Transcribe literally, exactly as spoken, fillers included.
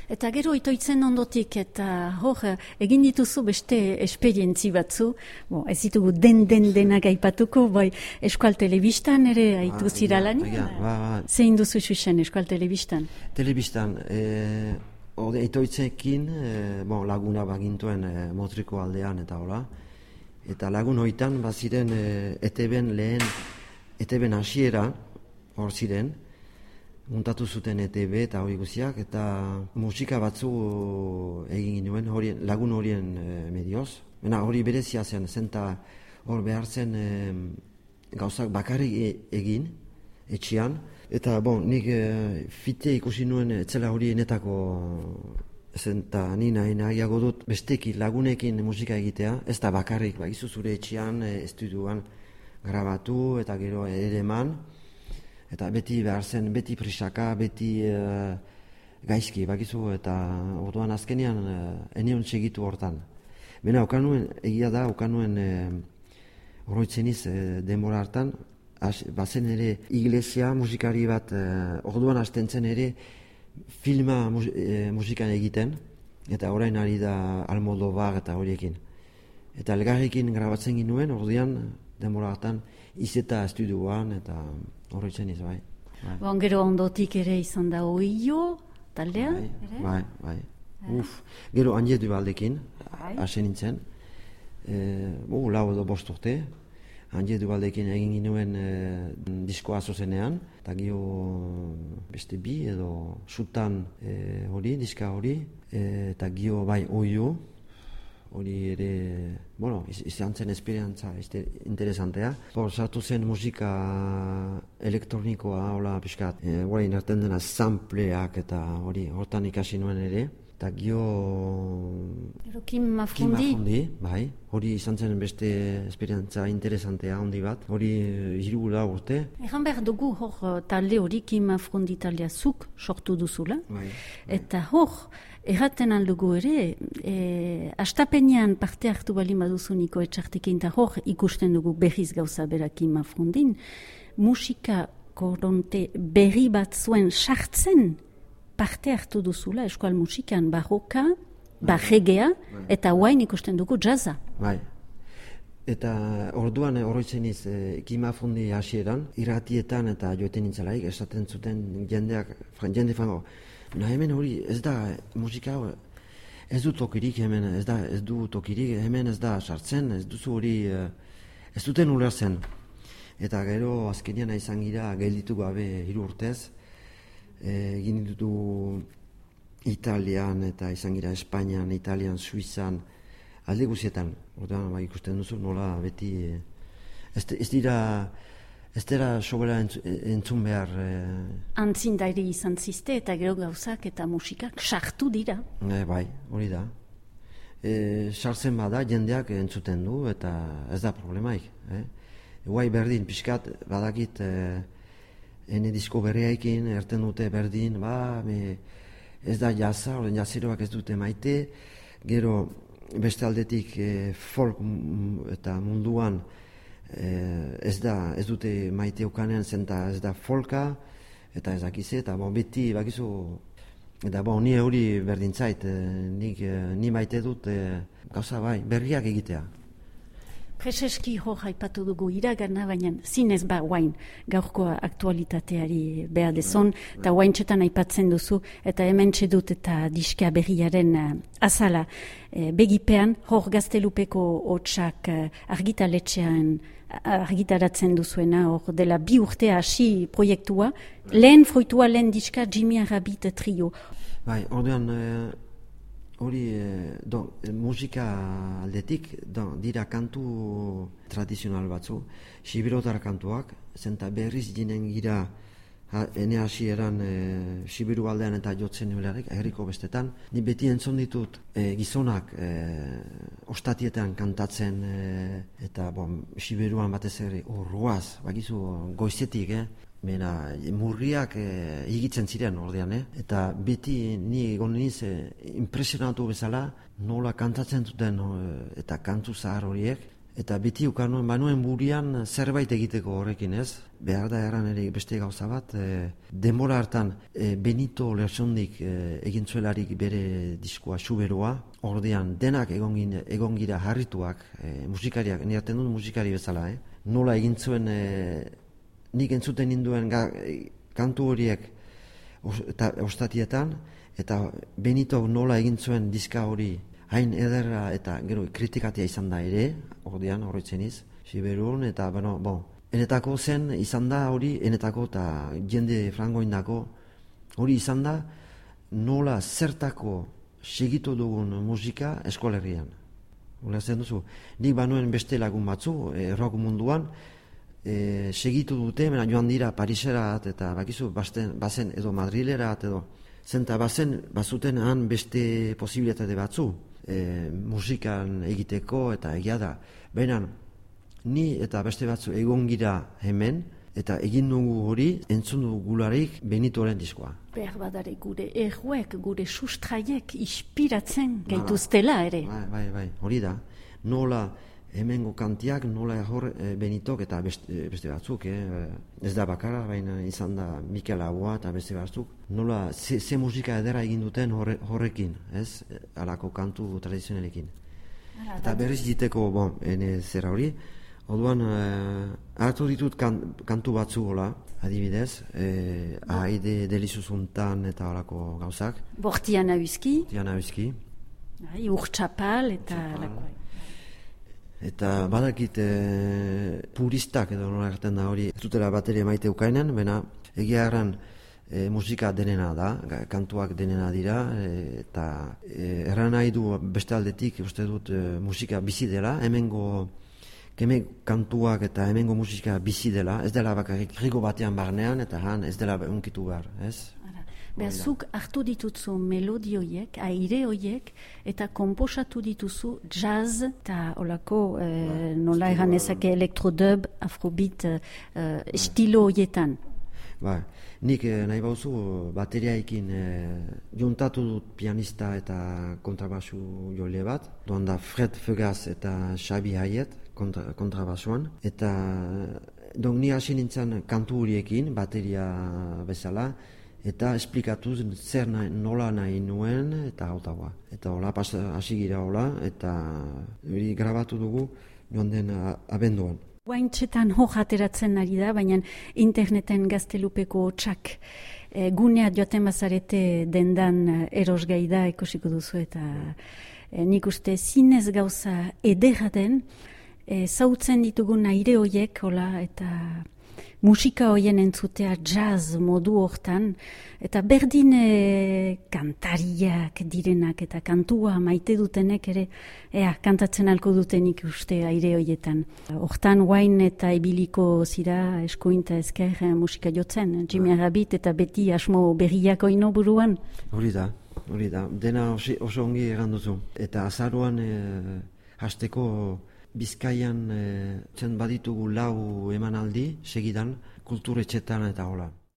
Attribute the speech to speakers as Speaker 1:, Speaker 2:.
Speaker 1: Eta gero itoitzen ondotik, eta hor, egin dituzu beste esperientzi batzu, bo, ez ditugu den-den denak aipatuko, bai, Euskal Telebistan ere aitu zira lan? Zein duzu xuxen Euskal Telebistan?
Speaker 2: Telebistan, e, ode, itoitzekin e, bon, laguna bagintuen e, Motriko aldean eta hola, eta lagun hoitan baziren e, E T B-en lehen, E T B-en hasiera, hor ziren, muntatu zuten E T B eta hori guziak, eta musika batzu egin ginuen horien, lagun horien e, medioz. Bena hori berezia zen, zenta hor behar zen e, gauzak bakarrik e, egin, etxian. Eta bon, nik e, fite ikusi nuen etzela hori enetako, zenta ni nahi nahiago dut besteki lagunekin musika egitea, ez da bakarrik, bakizu zure etxian, e, estudioan grabatu eta gero ere eman. Eta beti behar zen, beti prisaka, beti uh, gaizki, bakizu, eta orduan azkenean uh, enion segitu hortan. Bena, okanuen, egia da, okanuen uh, oroitzeniz uh, denbora hartan, as, bazen ere iglesia musikari bat, uh, orduan hasten zen ere filma mus, uh, musikan egiten, eta orain ari da Almodovar eta horiekin. Eta elgarrekin grabatzen ginuen, orduan denbora hartan, izeta estudioan, eta horretzen iz, bai. bai.
Speaker 1: Bon, gero ondotik ere izan da Oio, taldea?
Speaker 2: Bai,
Speaker 1: ere?
Speaker 2: bai, bai. Uf, gero Anje Dubaldekin, hase nintzen. E, bu, lau edo bost urte. Anje Dubaldekin egin ginuen e, diskoa zuzenean, eta gero beste bi edo sutan e, hori, diska hori, e, eta gero bai Oio, hori ere, bueno, izan zen esperientza interesantea. Hor, sartu zen musika elektronikoa, hola, pixkat, e, hori inerten dena sampleak eta hori, hortan ikasi nuen ere. Eta gio...
Speaker 1: Ero Kim Mafrundi?
Speaker 2: Kim Mafrundi, bai. Hori izan zen beste esperientza interesantea handi bat. Hori hirugula urte.
Speaker 1: Egan behar dugu hor talde hori Kim Mafrundi taldea zuk sortu duzula.
Speaker 2: Bai, bai.
Speaker 1: Eta hor, erraten aldugu ere, e, astapenean parte hartu bali baduzu Niko Etxartekin, eta hor ikusten dugu berriz gauza bera Kim Mafrundin, musika koronte berri bat zuen sartzen, parte hartu duzula eskual musikan barroka, barregea, eta guain ikusten dugu jazza.
Speaker 2: Bai. Eta orduan oroitzen iz, e, Kim Mafrundi hasieran, irratietan eta joeten nintzalaik, esaten zuten jendeak, jende fango, na hemen hori ez da musika, ez du tokirik hemen, ez da ez du tokirik, hemen ez da sartzen, ez duzu hori, ez duten ulertzen. Eta gero azkenean izan gira gelditu gabe hiru urtez, egin ditu Italian eta izan gira Espainian, Italian, Suizan, alde guzietan. Orduan bai ikusten duzu nola beti ez, ez dira ez dira sobera entzun behar. Eh...
Speaker 1: Antzindairi izan ziste eta gero gauzak eta musikak sartu dira.
Speaker 2: E, bai, hori da. E, sartzen bada jendeak entzuten du eta ez da problemaik. Eh? Guai berdin, pixkat badakit e, ene disko berriaikin erten dute berdin, ba, me, ez da jazza, horren jaziroak ez dute maite, gero beste aldetik e, folk eta munduan e, ez da, ez dute maite ukanean zenta ez da folka, eta ez dakize, eta bon, beti bakizu, eta bon, ni hori berdintzait, e, nik, e, ni maite dut e, gauza bai, berriak egitea.
Speaker 1: Prezeski hor haipatu dugu iragana, baina zinez ba guain gaurko aktualitateari behar dezon, eta guain txetan aipatzen duzu, eta hemen txedut eta diska berriaren uh, azala uh, begipean, hor Gaztelupeko hotsak uh, argitaletxean argitaratzen duzuena, hor dela bi urtea hasi proiektua, lehen fruitua, lehen diska Jimmy Rabbit trio.
Speaker 2: Bai, ordean... Uh... Hori, eh, don, musika aldetik, don, dira kantu tradizional batzu, sibirotar kantuak, zenta berriz ginen gira, ha, ene hasi eran e, sibiru aldean eta jotzen nularek, herriko bestetan. Ni beti entzun ditut e, gizonak e, ostatietan kantatzen, e, eta bon, sibiruan batez ere, urruaz, bakizu goizetik, eh? Mena, murriak e, higitzen ziren ordean, eh? Eta beti ni egon niz e, impresionatu bezala nola kantatzen duten e, eta kantu zahar horiek Eta beti ukanuen banuen burian zerbait egiteko horrekin, ez? Behar da erran ere beste gauza bat, e, denbora hartan e, Benito Lertxondik e, egin zuelarik bere diskoa Xuberoa, ordean denak egon, egon gira harrituak, e, musikariak, nirten dut musikari bezala, eh? Nola egin zuen, e, nik entzuten ninduen ga, e, kantu horiek eta ostatietan, eta Benito nola egin zuen diska hori hain ederra eta gero kritikatia izan da ere, ordean horretzen iz, Xuberun, eta bueno, bon, enetako zen izan da hori, enetako eta jende frangoindako hori izan da nola zertako segitu dugun musika eskolerrian. Ulertzen duzu, nik banuen beste lagun batzu, e, rock munduan, e, segitu dute, mena joan dira Pariserat eta bakizu, basten, bazen edo Madrilerat edo, zenta bazen, bazuten han beste posibilitate batzu, e, musikan egiteko eta egia da. Baina, ni eta beste batzu egon gira hemen, eta egin dugu hori, entzun dugu gularik Benitoren diskoa.
Speaker 1: Behar badare gure erruek, gure sustraiek inspiratzen gaituztela ere.
Speaker 2: Bai, bai, bai, hori da. Nola hemengo kantiak, nola hor e, Benitok eta beste, beste batzuk, eh? Ez da bakarra, baina izan da Mikel Laboa eta beste batzuk. Nola, ze, ze musika edera egin duten horre, horrekin, ez? Alako kantu tradizionalekin. Eta berriz diteko, bon, ene zera hori, orduan, eh, hartu ditut kan, kantu batzu gola, adibidez, eh, Aide Delizuzuntan eta horako gauzak.
Speaker 1: Bortian Auzki.
Speaker 2: Bortian Auzki.
Speaker 1: Urtxapal eta lakoa.
Speaker 2: Eta badakit e, puristak edo nola erten da hori, ez dutela bateria maite ukainen, bena egia erran e, musika denena da, kantuak denena dira, e, eta e, erran nahi du beste aldetik, uste dut e, musika bizi dela, hemengo keme kantuak eta hemengo musika bizi dela, ez dela bakarrik rigo batean barnean, eta han ez dela unkitu behar, ez?
Speaker 1: Behazuk hartu dituzu melodioiek, aire hoiek, eta komposatu dituzu jazz eta olako eh, nola egan ezake elektrodub, afrobeat eh, estilo hoietan.
Speaker 2: Ba, nik eh, nahi bauzu bateriaikin eh, juntatu dut pianista eta kontrabasu jole bat, doan da Fred Fugaz eta Xabi Hayet kontra, kontrabasuan, eta don ni hasi nintzen kantu horiekin, bateria bezala, eta esplikatuz zer nahi, nola nahi nuen eta hautagoa. Eta hola hasi gira hola eta hori grabatu dugu joan den abenduan.
Speaker 1: Guaintxetan hor ateratzen ari da, baina interneten gaztelupeko txak e, gunea joaten bazarete dendan erosgai da ikusiko duzu eta e, nik uste zinez gauza ederra den, e, zautzen ditugun aire hoiek hola eta musika hoien entzutea jazz modu hortan, eta berdin e, kantariak direnak eta kantua maite dutenek ere, ea, kantatzen alko dutenik uste aire hoietan. Hortan guain eta ibiliko zira eskuinta ezker musika jotzen, Jimmy Rabbit eta beti asmo berriak oino buruan.
Speaker 2: Hori da, hori da, dena oso ongi egan duzu. Eta azaruan e, hasteko Bizkaian e, zen baditugu lau emanaldi segidan kulturetxetan eta hola.